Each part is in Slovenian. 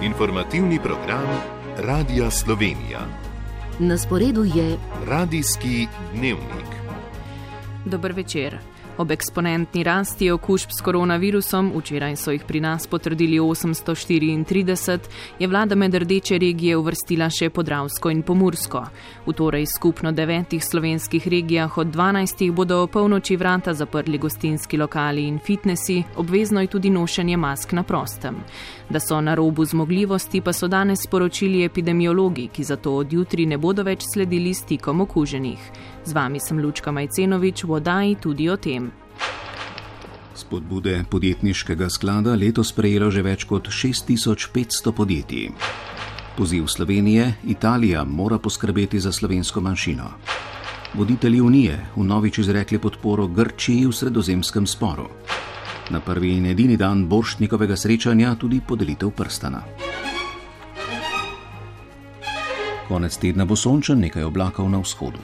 Informativni program Radia Slovenija. Na sporedu je Radijski dnevnik. Dober večer. Ob eksponentni rasti okužb s koronavirusom, včeraj so jih pri nas potrdili 834, je vlada med rdeče regije uvrstila še Podravsko in Pomursko. V torej skupno 9 slovenskih regijah od 12 bodo o polnoči vrata zaprli gostinski lokali in fitnesi, obvezno je tudi nošenje mask na prostem. Da so na robu zmogljivosti, pa so danes sporočili epidemiologi, ki zato od jutri ne bodo več sledili stikom okuženih. Z vami sem Lučka Majcenovič, v oddaji tudi o tem. Spodbude podjetniškega sklada letos prejelo že več kot 6500 podjetij. Poziv Slovenije: Italija mora poskrbeti za slovensko manjšino. Voditelji Unije vnovič izrekli podporo Grčiji v sredozemskem sporu. Na prvi in edini dan Borštnikovega srečanja tudi podelitev prstana. Konec tedna bo sončen, nekaj oblakov na vzhodu.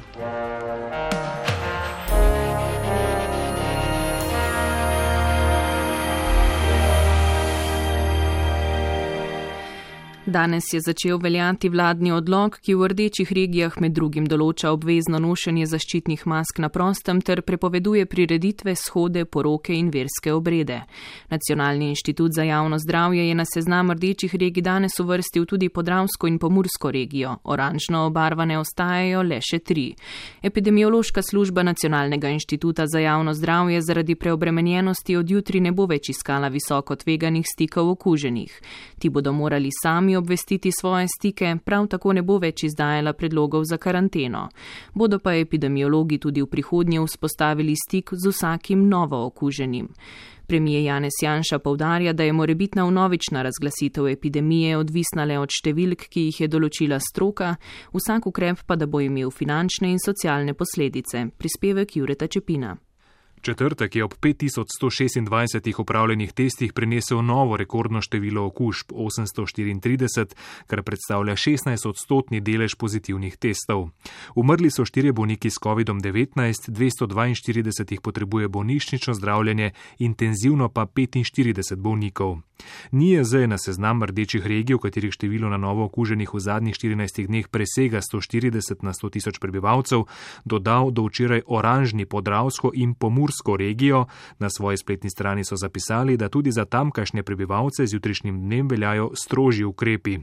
Danes je začel veljati vladni odlok, ki v rdečih regijah med drugim določa obvezno nošenje zaščitnih mask na prostem ter prepoveduje prireditve, shode, poroke in verske obrede. Nacionalni inštitut za javno zdravje je na seznam rdečih regij danes uvrstil tudi Podravsko in Pomursko regijo. Oranžno obarvane ostajajo le še 3. Epidemiološka služba Nacionalnega inštituta za javno zdravje zaradi preobremenjenosti od jutri ne bo več iskala visoko tveganih stikov okuženih. Ti bodo morali sami obvestiti svoje stike, prav tako ne bo več izdajala predlogov za karanteno. Bodo pa epidemiologi tudi v prihodnje vzpostavili stik z vsakim novo okuženim. Premier Janez Janša poudarja, da je morebitna vnovična razglasitev epidemije odvisna le od številk, ki jih je določila stroka, vsak ukrep pa da bo imel finančne in socialne posledice. Prispevek Jureta Čepina. Četrtek je ob 5126 opravljenih testih prinesel novo rekordno število okužb, 834, kar predstavlja 16% delež pozitivnih testov. Umrli so 4 bolniki s COVID-19, 242 jih potrebuje bolnišnično zdravljenje, intenzivno pa 45 bolnikov. NIJZ je na seznam rdečih regij, v katerih število na novo okuženih v zadnjih 14 dneh presega 140 na 100 tisoč prebivalcev, dodal do včeraj oranžni Podravsko in Pomursko regijo. Na svoji spletni strani so zapisali, da tudi za tamkajšnje prebivalce z jutrišnjim dnem veljajo strožji ukrepi.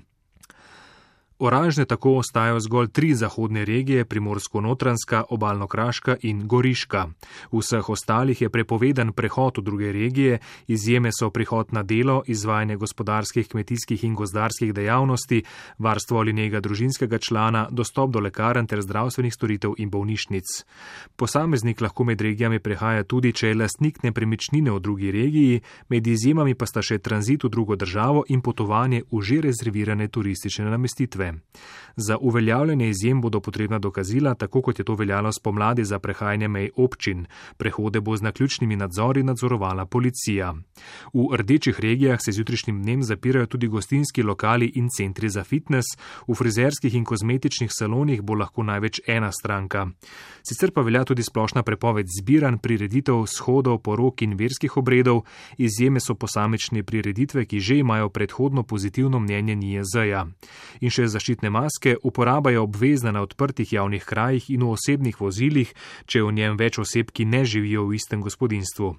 Oranžne tako ostajajo zgolj 3 zahodne regije, Primorsko-Notranjska, Obalno-Kraška in Goriška. V vseh ostalih je prepovedan prehod v druge regije, izjeme so prihod na delo, izvajanje gospodarskih, kmetijskih in gozdarskih dejavnosti, varstvo ali nega družinskega člana, dostop do lekarn ter zdravstvenih storitev in bolnišnic. Posameznik lahko med regijami prehaja tudi, če je lastnik nepremičnine v drugi regiji, med izjemami pa sta še tranzit v drugo državo in potovanje v že rezervirane turistične namestitve. Za uveljavljanje izjem bodo potrebna dokazila, tako kot je to veljalo spomladi za prehajanje mej občin. Prehode bo z naključnimi nadzori nadzorovala policija. V rdečih regijah se z jutrišnjim dnem zapirajo tudi gostinski lokali in centri za fitnes, v frizerskih in kozmetičnih salonih bo lahko največ ena stranka. Sicer pa velja tudi splošna prepoved zbiranj, prireditev, shodov, porok in verskih obredov, izjeme so posamične prireditve, ki že imajo predhodno pozitivno mnenje NIJZ-ja. In še zaščitne maske, uporaba je obvezna na odprtih javnih krajih in v osebnih vozilih, če je v njem več oseb, ki ne živijo v istem gospodinjstvu.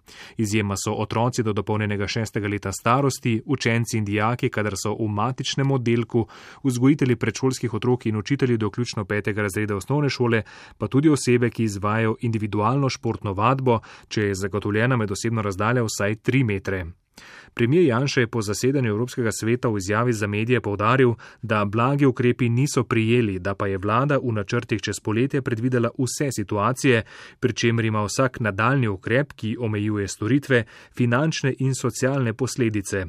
Izjema so otroci do dopolnjenega 6. leta starosti, učenci in dijaki, kadar so v matičnem oddelku, vzgojitelji predšolskih otrok in učitelji do vključno 5. razreda osnovne šole, pa tudi osebe, ki izvajajo individualno športno vadbo, če je zagotovljena med osebno razdalja vsaj 3 metre. Premier Janša je po zasedanju Evropskega sveta v izjavi za medije poudaril, da blagi ukrepi niso prijeli, da pa je vlada v načrtih čez poletje predvidela vse situacije, pri čemer ima vsak nadaljnji ukrep, ki omejuje storitve, finančne in socialne posledice.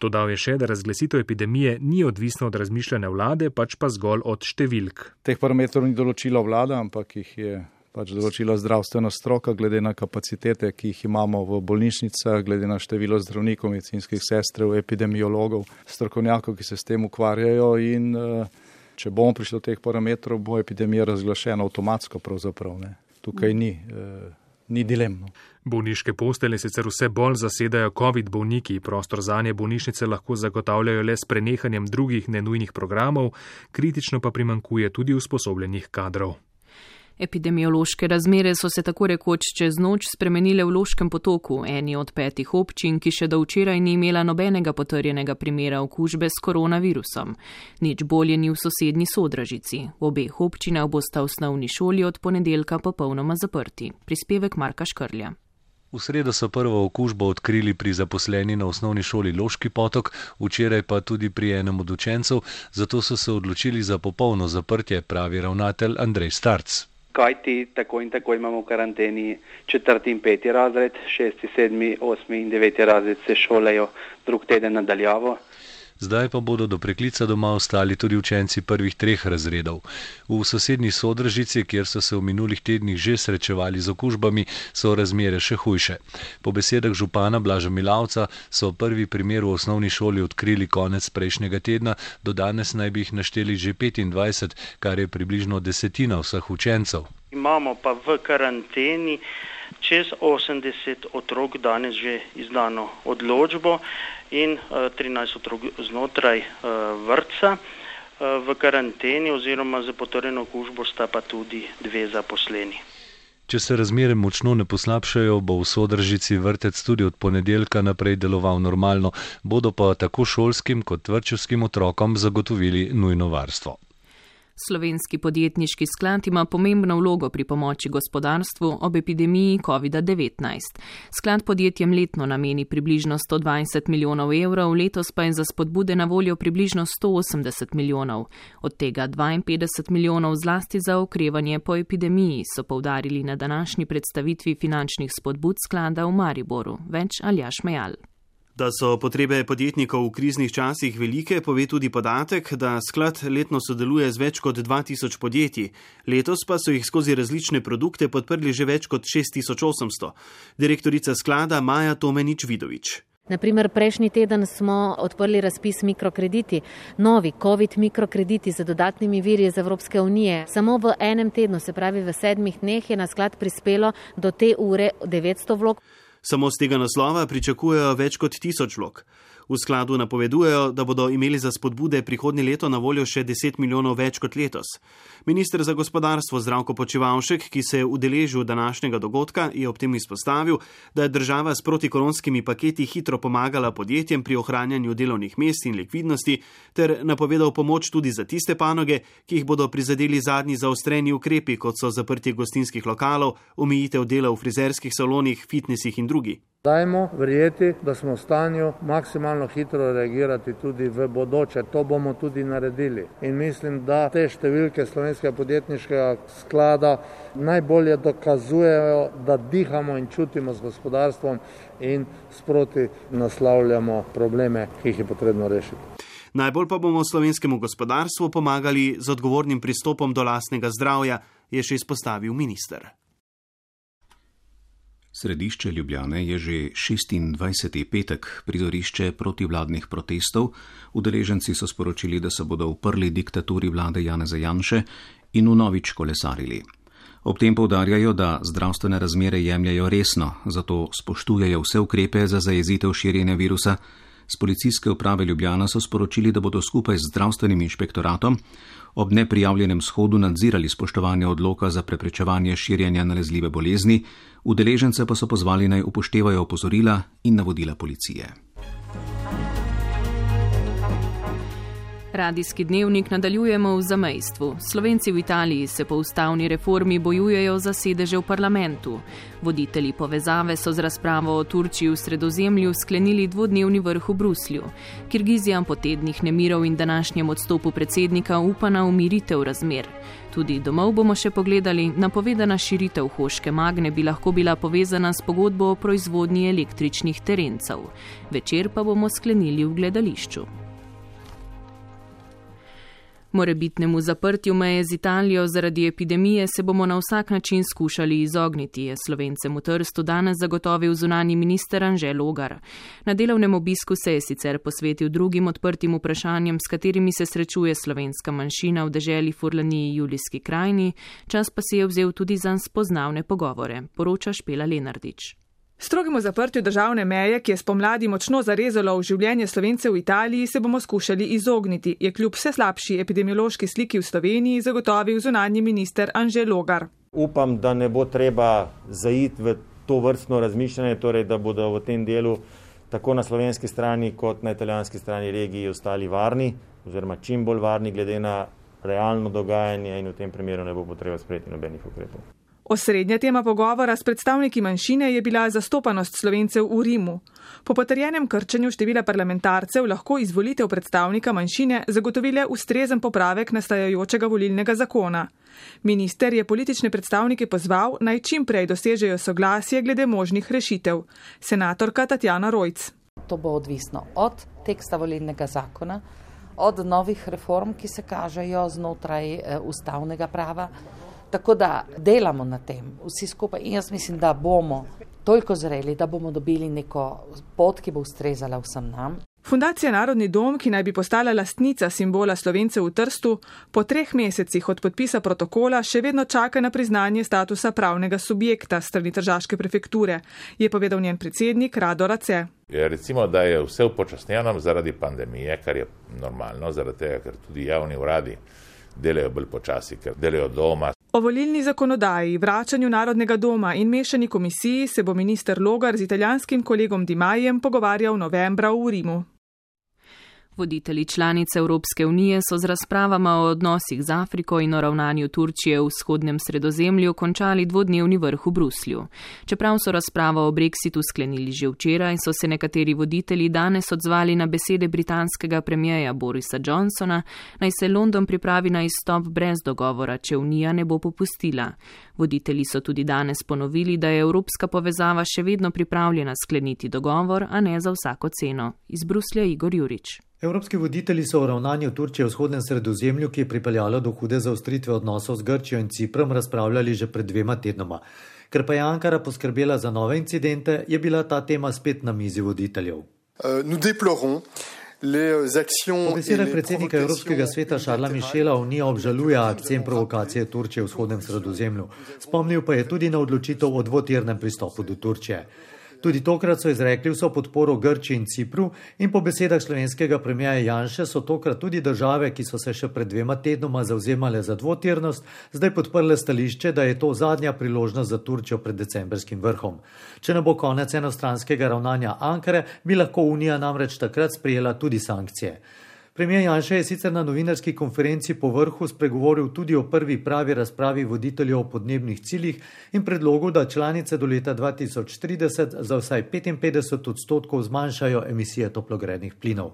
Dodal je še, da razglasitev epidemije ni odvisna od razmišljanja vlade, pač pa zgolj od številk. Teh parametrov ni določila vlada, ampak jih je določila zdravstvena stroka, glede na kapacitete, ki jih imamo v bolnišnicah, glede na število zdravnikov, medicinskih sester, epidemiologov, strokovnjakov, ki se s tem ukvarjajo, in če bomo prišli do teh parametrov, bo epidemija razglašena avtomatsko pravzaprav. Tukaj ni ni dilemno. Bolniške postelje sicer vse bolj zasedajo COVID bolniki, prostor zanje bolnišnice lahko zagotavljajo le s prenehanjem drugih nenujnih programov, kritično pa primanjkuje tudi usposobljenih kadrov. Epidemiološke razmere so se tako rekoč čez noč spremenile v Loškem potoku, eni od 5 občin, ki še do včeraj ni imela nobenega potrjenega primera okužbe s koronavirusom. Nič bolje ni v sosednji Sodražici. V obeh občinah bosta osnovni šoli od ponedeljka popolnoma zaprti. Prispevek Marka Škrlja. V sredo so prvo okužbo odkrili pri zaposleni na osnovni šoli Loški potok, včeraj pa tudi pri enem od učencev, zato so se odločili za popolno zaprtje, pravi ravnatelj Andrej Starc. Kajti tako in tako imamo v karanteni 4. in 5. razred, 6., 7., 8. in 9. razred se šolajo drug teden nadaljavo. Zdaj pa bodo do preklica doma ostali tudi učenci prvih 3 razredov. V sosednji Sodražici, kjer so se v minulih tednih že srečevali z okužbami, so razmere še hujše. Po besedah župana Blaža Milavca so prvi primer v osnovni šoli odkrili konec prejšnjega tedna, do danes naj bi jih našteli že 25, kar je približno 10% vseh učencev. Imamo pa v karanteni čez 80 otrok danes že izdano odločbo in 13 otrok znotraj vrtca. V karanteni oziroma za potrjeno okužbo sta pa tudi 2 zaposleni. Če se razmere močno ne poslabšajo, bo v Sodražici vrtec tudi od ponedeljka naprej deloval normalno, bodo pa tako šolskim kot vrtčevskim otrokom zagotovili nujno varstvo. Slovenski podjetniški sklad ima pomembno vlogo pri pomoči gospodarstvu ob epidemiji COVID-19. Sklad podjetjem letno nameni približno 120 milijonov evrov, letos pa je za spodbude na voljo približno 180 milijonov. Od tega 52 milijonov zlasti za okrevanje po epidemiji, so poudarili na današnji predstavitvi finančnih spodbud sklada v Mariboru. Več Aljaž Mejal. Da so potrebe podjetnikov v kriznih časih velike, pove tudi podatek, da sklad letno sodeluje z več kot 2000 podjetij. Letos pa so jih skozi različne produkte podprli že več kot 6800. Direktorica sklada Maja Tomenič-Vidovič. Naprimer, prejšnji teden smo odprli razpis mikrokrediti, novi COVID mikrokrediti z dodatnimi viri iz Evropske unije. Samo v enem tednu, se pravi v 7 dneh, je na sklad prispelo do te ure 900 vlog. Samo z tega naslova pričakujejo več kot 1000 vlog. V skladu napovedujejo, da bodo imeli za spodbude prihodnje leto na voljo še 10 milijonov več kot letos. Minister za gospodarstvo Zdravko Počivalšek, ki se je udeležil današnjega dogodka, je ob tem izpostavil, da je država s protikoronskimi paketi hitro pomagala podjetjem pri ohranjanju delovnih mest in likvidnosti, ter napovedal pomoč tudi za tiste panoge, ki jih bodo prizadeli zadnji zaostreni ukrepi, kot so zaprtje gostinskih lokalov, omejitev dela v frizerskih salonih, fitnesih in drugi. Dajmo verjeti, da smo v stanju maksimalno hitro reagirati tudi v bodoče. To bomo tudi naredili. In mislim, da te številke Slovenskega podjetniškega sklada najbolje dokazujejo, da dihamo in čutimo z gospodarstvom in sproti naslavljamo probleme, ki jih je potrebno rešiti. Najbolj pa bomo slovenskemu gospodarstvu pomagali z odgovornim pristopom do lastnega zdravja, je še izpostavil minister. Središče Ljubljane je že 26. petek, prizorišče protivladnih protestov. Udeleženci so sporočili, da se bodo uprli diktaturi vlade Janeza Janše in vnovič kolesarili. Ob tem poudarjajo, da zdravstvene razmere jemljajo resno, zato spoštujejo vse ukrepe za zajezitev širjenja virusa. Z policijske uprave Ljubljana so sporočili, da bodo skupaj z zdravstvenim inšpektoratom ob neprijavljenem shodu nadzirali spoštovanje odloka za preprečevanje širjenja nalezljive bolezni, udeležence pa so pozvali naj upoštevajo opozorila in navodila policije. Radijski dnevnik nadaljujemo v zamejstvu. Slovenci v Italiji se po ustavni reformi bojujejo za sedeže v parlamentu. Voditelji povezave so z razpravo o Turčiji v Sredozemlju sklenili 2-dnevni vrh v Bruslju. Kirgizija po tednih nemirov in današnjem odstopu predsednika upa na umiritev razmer. Tudi domov bomo še pogledali, napovedana širitev Hoške Magne bi lahko bila povezana s pogodbo o proizvodnji električnih terencev. Večer pa bomo sklenili v gledališču. Morebitnemu zaprtju meje z Italijo zaradi epidemije se bomo na vsak način skušali izogniti, je Slovencem v Trstu danes zagotovil zunanji minister Anže Logar. Na delovnem obisku se je sicer posvetil drugim odprtim vprašanjem, s katerimi se srečuje slovenska manjšina v deželi Furlaniji Julijski krajini, čas pa si je vzel tudi za spoznavne pogovore, poroča Špela Lenardič. Strogemu zaprtju državne meje, ki je spomladi močno zarezalo v življenje Slovencev v Italiji, se bomo skušali izogniti, je kljub vse slabši epidemiološki sliki v Sloveniji zagotovil zunanji minister Anže Logar. Upam, da ne bo treba zaiti v to vrstno razmišljanje, torej da bodo v tem delu tako na slovenski strani kot na italijanski strani regiji ostali varni, oziroma čim bolj varni glede na realno dogajanje in v tem primeru ne bo potreba sprejeti nobenih ukrepov. Osrednja tema pogovora s predstavniki manjšine je bila zastopanost Slovencev v Rimu. Po potrjenem krčenju števila parlamentarcev lahko izvolitev predstavnika manjšine zagotovile ustrezen popravek nastajajočega volilnega zakona. Minister je politične predstavnike pozval, naj čim prej dosežejo soglasje glede možnih rešitev. Senatorka Tatjana Rojc. To bo odvisno od teksta volilnega zakona, od novih reform, ki se kažejo znotraj ustavnega prava. Tako da delamo na tem vsi skupaj in jaz mislim, da bomo toliko zreli, da bomo dobili neko pot, ki bo ustrezala vsem nam. Fundacija Narodni dom, ki naj bi postala lastnica simbola Slovencev v Trstu, po 3 mesecih od podpisa protokola še vedno čaka na priznanje statusa pravnega subjekta strani tržaške prefekture, je povedal njen predsednik Rado Race. Recimo, da je vse upočasnjeno zaradi pandemije, kar je normalno, zaradi tega, ker tudi javni uradi delajo bolj počasi, ker delajo doma. O volilni zakonodaji, vračanju Narodnega doma in mešani komisiji se bo minister Logar z italijanskim kolegom Di Maijem pogovarjal novembra v Rimu. Voditelji članice Evropske unije so z razpravama o odnosih z Afriko in o ravnanju Turčije v vzhodnem Sredozemlju končali 2-dnevni vrh v Bruslju. Čeprav so razpravo o Brexitu sklenili že včeraj, so se nekateri voditelji danes odzvali na besede britanskega premijeja Borisa Johnsona, naj se London pripravi na izstop brez dogovora, če Unija ne bo popustila. Voditelji so tudi danes ponovili, da je evropska povezava še vedno pripravljena skleniti dogovor, a ne za vsako ceno. Iz Bruslja Igor Jurič. Evropski voditelji so o ravnanju Turčije v vzhodnem Sredozemlju, ki je pripeljalo do hude zaostritve odnosov z Grčijo in Ciprom, razpravljali že pred 2 tednoma. Ker pa je Ankara poskrbela za nove incidente, je bila ta tema spet na mizi voditeljev. Po besedah predsednika Evropskega sveta Šarla Mišela Unija obžaluje akcije in provokacije Turčije v vzhodnem Sredozemlju. Spomnil pa je tudi na odločitev o dvotirnem pristopu do Turčije. Tudi tokrat so izrekli vso podporo Grčiji in Cipru in po besedah slovenskega premijerja Janše so tokrat tudi države, ki so se še pred 2 tednoma zavzemale za dvotirnost, zdaj podprle stališče, da je to zadnja priložnost za Turčijo pred decembrskim vrhom. Če ne bo konec enostranskega ravnanja Ankare, bi lahko Unija namreč takrat sprejela tudi sankcije. Premijer Janša je sicer na novinarski konferenci po vrhu spregovoril tudi o prvi pravi razpravi voditeljev o podnebnih ciljih in predlogu, da članice do leta 2030 za vsaj 55% zmanjšajo emisije toplogrednih plinov.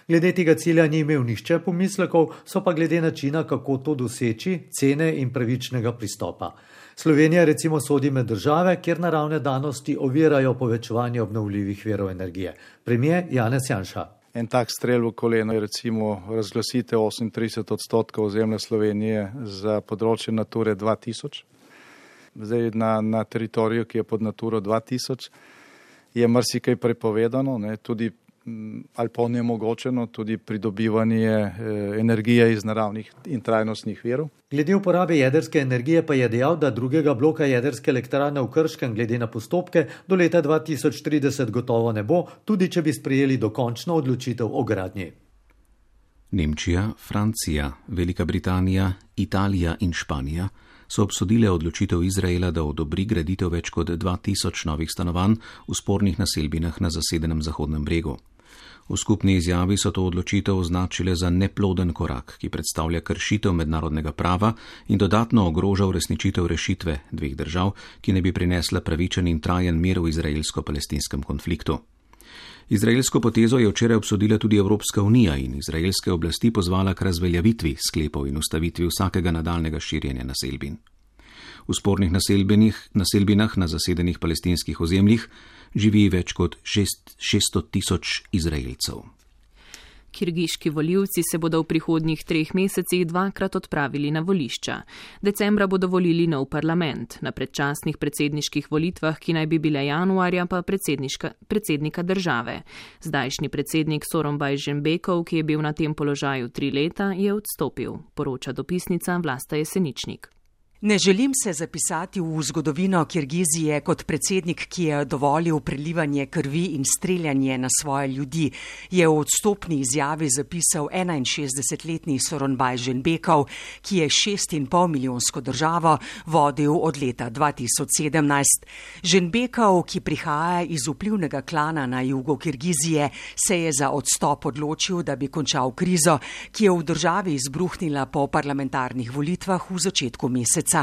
Glede tega cilja ni imel nihče pomislekov, so pa glede načina, kako to doseči, cene in pravičnega pristopa. Slovenija recimo sodi med države, kjer naravne danosti ovirajo povečevanje obnovljivih virov energije. Premijer Janez Janša. En tak strel v koleno je recimo razglasitev 38% ozemlja Slovenije za področje Nature 2000. Zdaj na teritoriju, ki je pod Naturo 2000, je marsikaj prepovedano, tudi ali pa onemogočeno, tudi pridobivanje energije iz naravnih in trajnostnih virov. Glede uporabe jedrske energije pa je dejal, da drugega bloka jedrske elektrarne v Krškem glede na postopke do leta 2030 gotovo ne bo, tudi če bi sprejeli dokončno odločitev o gradnji. Nemčija, Francija, Velika Britanija, Italija in Španija so obsodile odločitev Izraela, da odobri graditev več kot 2000 novih stanovanj v spornih naselbinah na zasedenem Zahodnem bregu. V skupni izjavi so to odločitev označile za neploden korak, ki predstavlja kršitev mednarodnega prava in dodatno ogroža uresničitev rešitve 2 držav, ki ne bi prinesla pravičen in trajen mir v izraelsko-palestinskem konfliktu. Izraelsko potezo je včeraj obsodila tudi Evropska unija in izraelske oblasti pozvala k razveljavitvi sklepov in ustavitvi vsakega nadaljnega širjenja naselbin. V spornih naselbinah na zasedenih palestinskih ozemljih živi več kot 600 000 Izraelcev. Kirgiški volivci se bodo v prihodnjih 3 mesecih 2-krat odpravili na volišča. Decembra bodo volili nov parlament, na predčasnih predsedniških volitvah, ki naj bi bile januarja, pa predsednika države. Zdajšnji predsednik Sooronbay Jeenbekov, ki je bil na tem položaju 3 leta, je odstopil, poroča dopisnica Vlasta Jeseničnik. Ne želim se zapisati v zgodovino Kirgizije kot predsednik, ki je dovolil prelivanje krvi in streljanje na svoje ljudi, je v odstopni izjavi zapisal 61-letni Sooronbay Jeenbekov, ki je 6,5 milijonsko državo vodil od leta 2017. Jeenbekov, ki prihaja iz vplivnega klana na jugu Kirgizije, se je za odstop odločil, da bi končal krizo, ki je v državi izbruhnila po parlamentarnih volitvah v začetku meseca.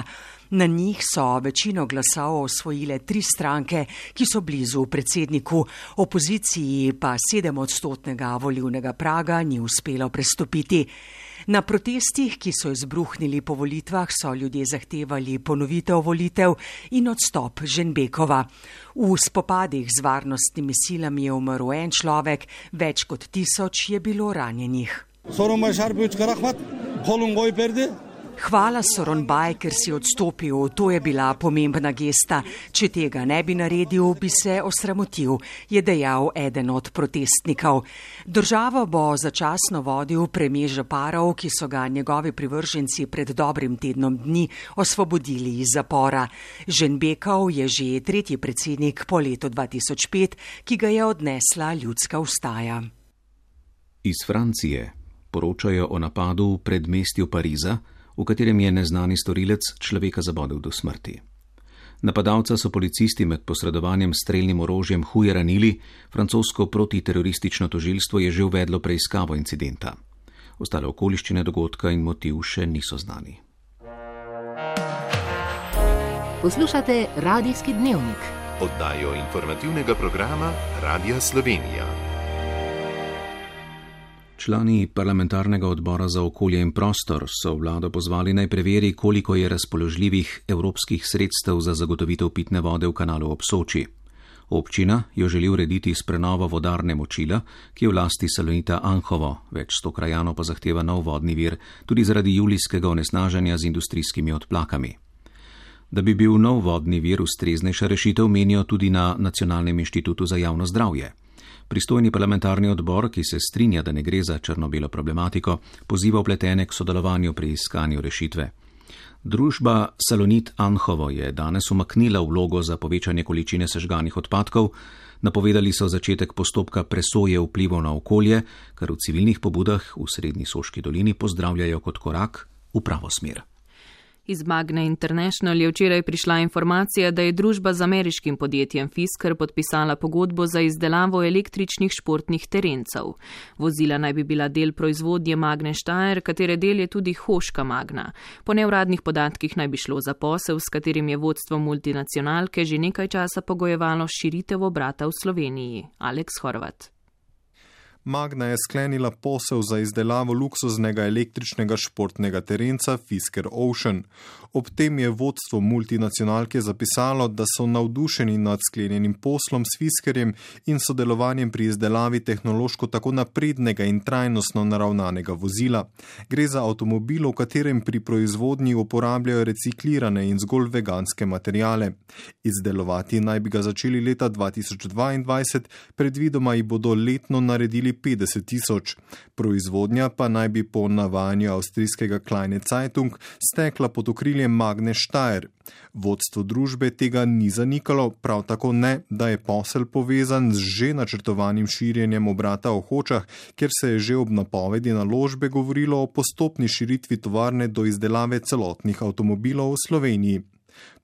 Na njih so večino glasov osvojile 3 stranke, ki so blizu predsedniku, opoziciji pa 7-odstotnega volilnega praga ni uspelo prestopiti. Na protestih, ki so izbruhnili po volitvah, so ljudje zahtevali ponovitev volitev in odstop Jeenbekova. V spopadih z varnostnimi silami je umrl en človek, več kot 1000 je bilo ranjenih. Hvala Sooronbay, ker si odstopil, to je bila pomembna gesta. Če tega ne bi naredil, bi se osramotil, je dejal eden od protestnikov. Državo bo začasno vodil premier Žaparov, ki so ga njegovi privrženci pred dobrim tednom dni osvobodili iz zapora. Jeenbekov je že 3. predsednik po letu 2005, ki ga je odnesla ljudska vstaja. Iz Francije poročajo o napadu v predmestju Pariza, v katerem je neznani storilec človeka zabodel do smrti. Napadalca so policisti med posredovanjem s strelnim orožjem huje ranili, francosko protiteroristično tožilstvo je že uvedlo preiskavo incidenta. Ostale okoliščine dogodka in motiv še niso znani. Poslušate Radijski dnevnik. Oddajo informativnega programa Radia Slovenija. Člani parlamentarnega odbora za okolje in prostor so vlado pozvali naj preveri, koliko je razpoložljivih evropskih sredstev za zagotovitev pitne vode v kanalu ob Soči. Občina jo želi urediti s prenovo vodarne Močila, ki je v lasti Salonita Anhovo, več 100 krajanov pa zahteva nov vodni vir, tudi zaradi julijskega onesnaženja z industrijskimi odplakami. Da bi bil nov vodni vir ustreznejša rešitev, menijo tudi na Nacionalnem inštitutu za javno zdravje. Pristojni parlamentarni odbor, ki se strinja, da ne gre za črno-belo problematiko, poziva vpletene k sodelovanju pri iskanju rešitve. Družba Salonit Anhovo je danes umaknila vlogo za povečanje količine sežganih odpadkov, napovedali so začetek postopka presoje vplivov na okolje, kar v civilnih pobudah v Srednji Soški dolini pozdravljajo kot korak v pravo smer. Iz Magne International je včeraj prišla informacija, da je družba z ameriškim podjetjem Fisker podpisala pogodbo za izdelavo električnih športnih terencev. Vozila naj bi bila del proizvodnje Magne Steyr, katere del je tudi Hoška Magna. Po neuradnih podatkih naj bi šlo za posel, s katerim je vodstvo multinacionalke že nekaj časa pogojevalo širitev obrata v Sloveniji. Aleks Horvat. Magna je sklenila posel za izdelavo luksuznega električnega športnega terenca Fisker Ocean. Ob tem je vodstvo multinacionalke zapisalo, da so navdušeni nad sklenjenim poslom s Fiskerjem in sodelovanjem pri izdelavi tehnološko tako naprednega in trajnostno naravnanega vozila. Gre za avtomobil, v katerem pri proizvodnji uporabljajo reciklirane in zgolj veganske materijale. Izdelovati naj bi ga začeli leta 2022, predvidoma jih bodo letno naredili 50 000. Proizvodnja pa naj bi po navajanju avstrijskega Kleine Zeitung stekla pod okriljem Magne Steyr. Vodstvo družbe tega ni zanikalo, prav tako ne, da je posel povezan z že načrtovanim širjenjem obrata v Hočah, kjer se je že ob napovedi naložbe govorilo o postopni širitvi tovarne do izdelave celotnih avtomobilov v Sloveniji.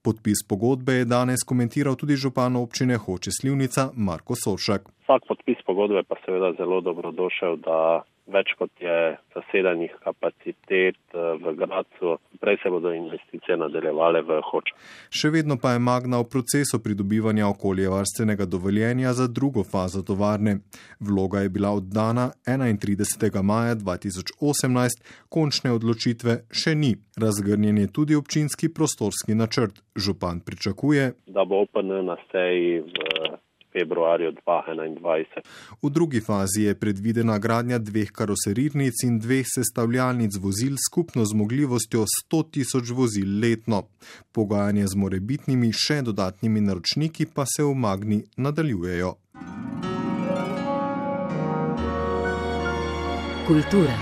Podpis pogodbe je danes komentiral tudi župan občine Hoče Slivnica Marko Soršak. Vsak podpis pogodbe pa seveda zelo dobrodošel, da več kot je zasedanih kapacitet v Gradcu, prej se bodo investicije nadaljevale v Hočah. Še vedno pa je Magna v procesu pridobivanja okoljevarstvenega dovoljenja za drugo fazo tovarne. Vloga je bila oddana 31. maja 2018, končne odločitve še ni. Razgrnjen je tudi občinski prostorski načrt. Župan pričakuje, da bo OPN na seji v februarju 2021. V drugi fazi je predvidena gradnja 2 karoserirnic in 2 sestavljalnic vozil s skupno zmogljivostjo 100.000 vozil letno. Pogajanje z morebitnimi še dodatnimi naročniki pa se v Magni nadaljujejo. Kultura.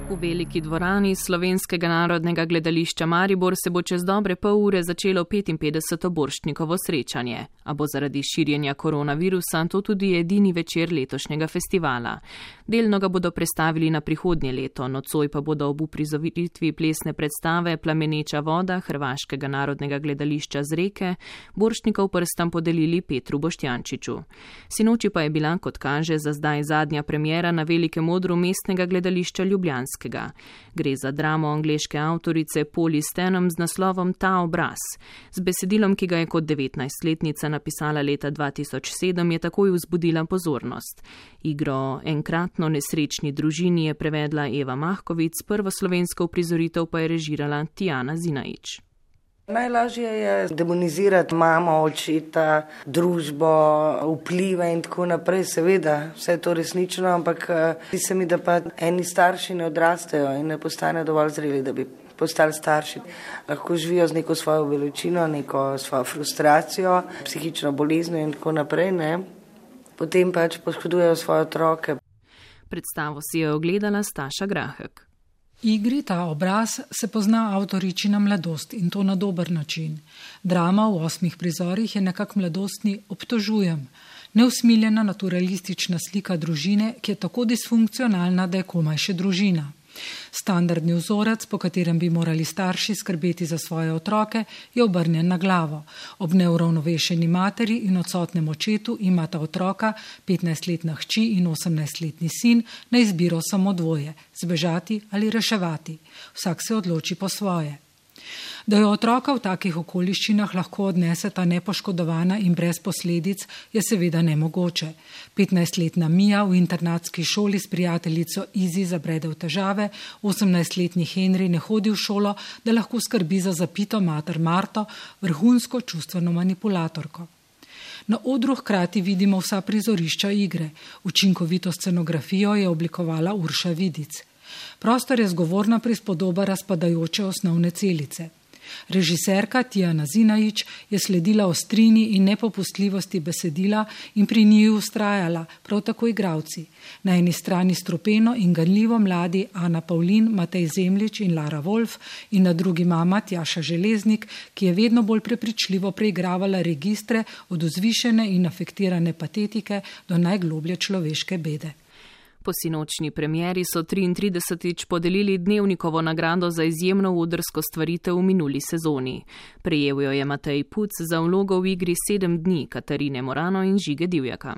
V veliki dvorani Slovenskega narodnega gledališča Maribor se bo čez dobre pol ure začelo 55. borštnikovo srečanje, a bo zaradi širjenja koronavirusa to tudi edini večer letošnjega festivala. Delno ga bodo prestavili na prihodnje leto, nocoj pa bodo ob uprizoritvi plesne predstave Plameneča voda Hrvaškega narodnega gledališča z Reke borštnikov prstam podelili Petru Boštjančiču. Sinoči pa je bila, kot kaže, za zdaj zadnja premiera na velikem odru mestnega gledališča Ljubljanskega. Gre za dramo angleške avtorice Polly Stenham z naslovom Ta obraz. Z besedilom, ki ga je kot 19-letnica napisala leta 2007, je takoj vzbudila pozornost. Igro Enkratno nesrečni družini je prevedla Eva Mahkovic, prvo slovensko uprizoritev pa je režirala Tijana Zinajič. Najlažje je demonizirati mamo, očeta, družbo, vplive in tako naprej. Seveda, vse je to resnično, ampak zdi se mi, da pa eni starši ne odrastejo in ne postanejo dovolj zreli, da bi postali starši. Lahko živijo z neko svojo veličino, neko svojo frustracijo, psihično boleznjo in tako naprej, ne? Potem pač poškodujejo svoje otroke. Predstavo si je ogledala Staša Grahek. Igri Ta obraz se pozna avtoričina mladost in to na dober način. Drama v 8 prizorih je nekak mladostni obtožujem. Neusmiljena naturalistična slika družine, ki je tako disfunkcionalna, da je komaj še družina. Standardni vzorec, po katerem bi morali starši skrbeti za svoje otroke, je obrnjen na glavo. Ob neuravnovešeni materi in odsotnem očetu imata otroka, 15-letna hči in 18-letni sin, na izbiro samo dvoje, zbežati ali reševati. Vsak se odloči po svoje. Da jo otroka v takih okoliščinah lahko odneseta nepoškodovana in brez posledic, je seveda nemogoče. 15-letna Mija v internatski šoli s prijateljico Izi zabrede v težave, 18-letni Henry ne hodi v šolo, da lahko skrbi za zapito mater Marto, vrhunsko čustveno manipulatorko. Na odru hkrati vidimo vsa prizorišča igre. Učinkovito scenografijo je oblikovala Urša Vidic. Prostor je zgovorna prispodoba razpadajoče osnovne celice. Režiserka Tijana Zinajič je sledila ostrini in nepopustljivosti besedila in pri njih ustrajala, prav tako igralci. Na eni strani strupeno in ganljivo mladi Ana Pavlin, Matej Zemljič in Lara Wolf in na drugi mama Tjaša Železnik, ki je vedno bolj prepričljivo preigravala registre od vzvišene in afektirane patetike do najgloblje človeške bede. Po sinočni premieri so 33. podelili Dnevnikovo nagrado za izjemno odrsko stvaritev v minuli sezoni. Prejel jo je Matej Puc za vlogo v igri 7 dni Katarine Morano in Žige Divjaka.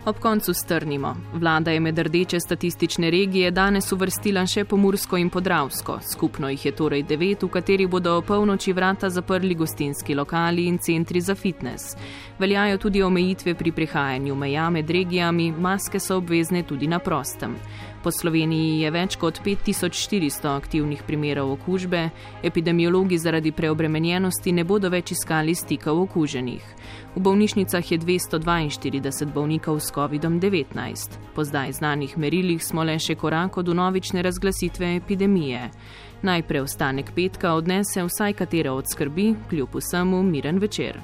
Ob koncu strnimo. Vlada je med rdeče statistične regije danes uvrstila še Pomursko in Podravsko. Skupno jih je torej 9, v katerih bodo o polnoči vrata zaprli gostinski lokali in centri za fitness. Veljajo tudi omejitve pri prehajanju meja med regijami, maske so obvezne tudi na prostem. Po Sloveniji je več kot 5400 aktivnih primerov okužbe, epidemiologi zaradi preobremenjenosti ne bodo več iskali stikov okuženih. V bolnišnicah je 242 bolnikov s COVID-19. Po zdaj znanih merilih smo le še korak od vnovične razglasitve epidemije. Naj preostanek petka odnese vsaj katera od skrbi, kljub vsemu miren večer.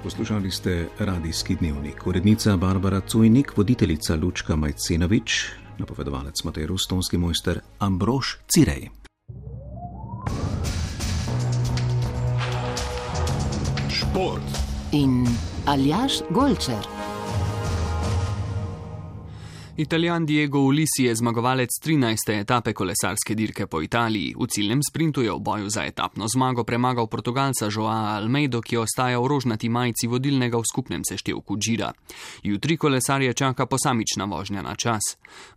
Poslušali ste Radijski dnevnik. Urednica Barbara Cujnik, voditeljica Lučka Majcenovič, napovedovalec Matej Rus, tonski mojster Ambrož Cirej. Šport in Aljaž Golčer. Italijan Diego Ulissi je zmagovalec 13. etape kolesarske dirke po Italiji. V ciljnem sprintu je v boju za etapno zmago premagal Portugalca Joaa Almeido, ki ostaja v rožnati majici vodilnega v skupnem seštevku Gira. Jutri kolesarje čaka posamična vožnja na čas.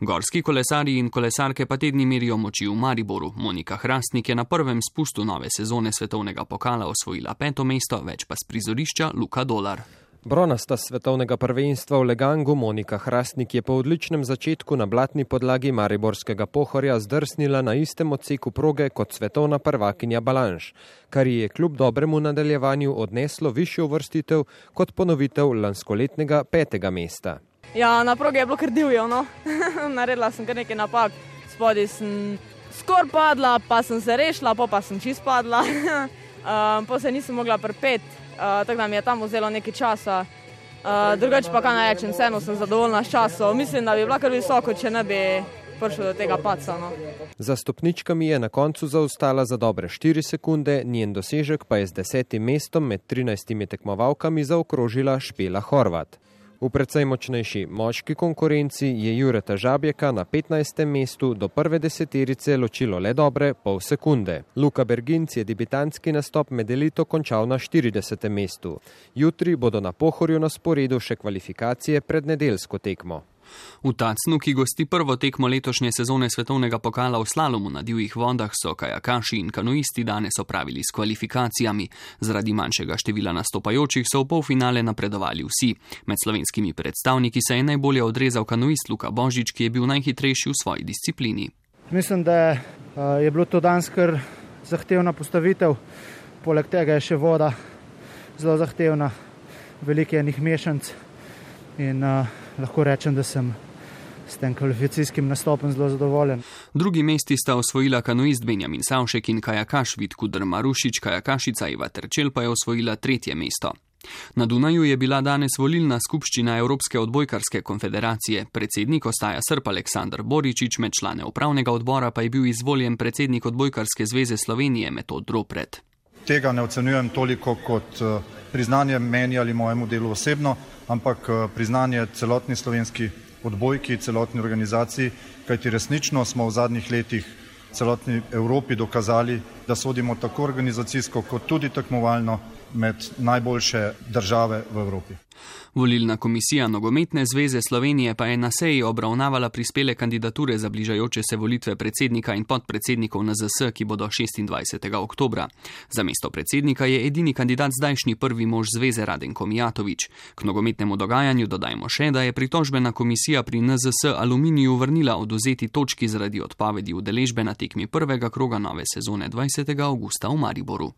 Gorski kolesarji in kolesarke pa tedni merijo moči v Mariboru. Monika Hrastnik je na prvem spustu nove sezone svetovnega pokala osvojila 5. mesto, več pa s prizorišča Luka Dolar. Bronasta svetovnega prvenstva v Legangu Monika Hrastnik je po odličnem začetku na blatni podlagi mariborskega Pohorja zdrsnila na istem odseku proge kot svetovna prvakinja Balanš, kar ji je kljub dobremu nadaljevanju odneslo višjo uvrstitev kot ponovitev lanskoletnega 5. mesta. Ja, na progi je bilo kar divjo, no. Naredila sem kar nekaj napak. Spodaj sem skoraj padla, pa sem se rešila, pa sem čist padla. Pa se nisem mogla pripeti. Tako da mi je tam vzelo nekaj časa. Drugače pa kaj naj rečem, vseeno sem zadovoljna s časom. Mislim, da bi bila kar visoko, če ne bi prišlo do tega padca. No. Za stopničkami je na koncu zaostala za dobre 4 sekunde, njen dosežek pa je z 10. mestom med 13 tekmovalkami zaokrožila Špela Horvat. V precej močnejši moški konkurenci je Jureta Žabjeka na 15. mestu do prve deseterice ločilo le dobre pol sekunde. Luka Berginc je debitantski nastop med elito končal na 40. mestu. Jutri bodo na Pohorju na sporedu še kvalifikacije pred nedeljsko tekmo. V Tacnu, ki gosti prvo tekmo letošnje sezone svetovnega pokala v slalomu na divjih vodah, so kajakaši in kanuisti danes opravili s kvalifikacijami. Zaradi manjšega števila nastopajočih so v polfinale napredovali vsi. Med slovenskimi predstavniki se je najbolje odrezal kanuist Luka Božič, ki je bil najhitrejši v svoji disciplini. Mislim, da je bilo to danes kar zahtevna postavitev. Poleg tega je še voda zelo zahtevna, veliko je enih mešanc in lahko rečem, da sem s tem kvalifikacijskim nastopom zelo zadovoljen. Drugi mesti sta osvojila kanuist Benjamin Savšek in kajakaš Vid Kudr Marušič, kajakašica Iva Terčel pa je osvojila 3. mesto. Na Dunaju je bila danes volilna skupščina Evropske odbojkarske konfederacije. Predsednik ostaja Srb Aleksandar Boričič, med člane upravnega odbora pa je bil izvoljen predsednik Odbojkarske zveze Slovenije Metod Ropret. Tega ne ocenjujem toliko kot priznanje meni ali mojemu delu osebno, ampak priznanje celotni slovenski odbojki, celotni organizaciji, kajti resnično smo v zadnjih letih celotni Evropi dokazali, da sodimo tako organizacijsko kot tudi tekmovalno med najboljše države v Evropi. Volilna komisija Nogometne zveze Slovenije pa je na seji obravnavala prispele kandidature za bližajoče se volitve predsednika in podpredsednikov NZS, ki bodo 26. oktobra. Za mesto predsednika je edini kandidat zdajšnji prvi mož zveze Radenko Mijatović. K nogometnemu dogajanju dodajmo še, da je pritožbena komisija pri NZS Aluminiju vrnila odvzeti točki zaradi odpovedi udeležbe na tekmi prvega kroga nove sezone 20. avgusta v Mariboru.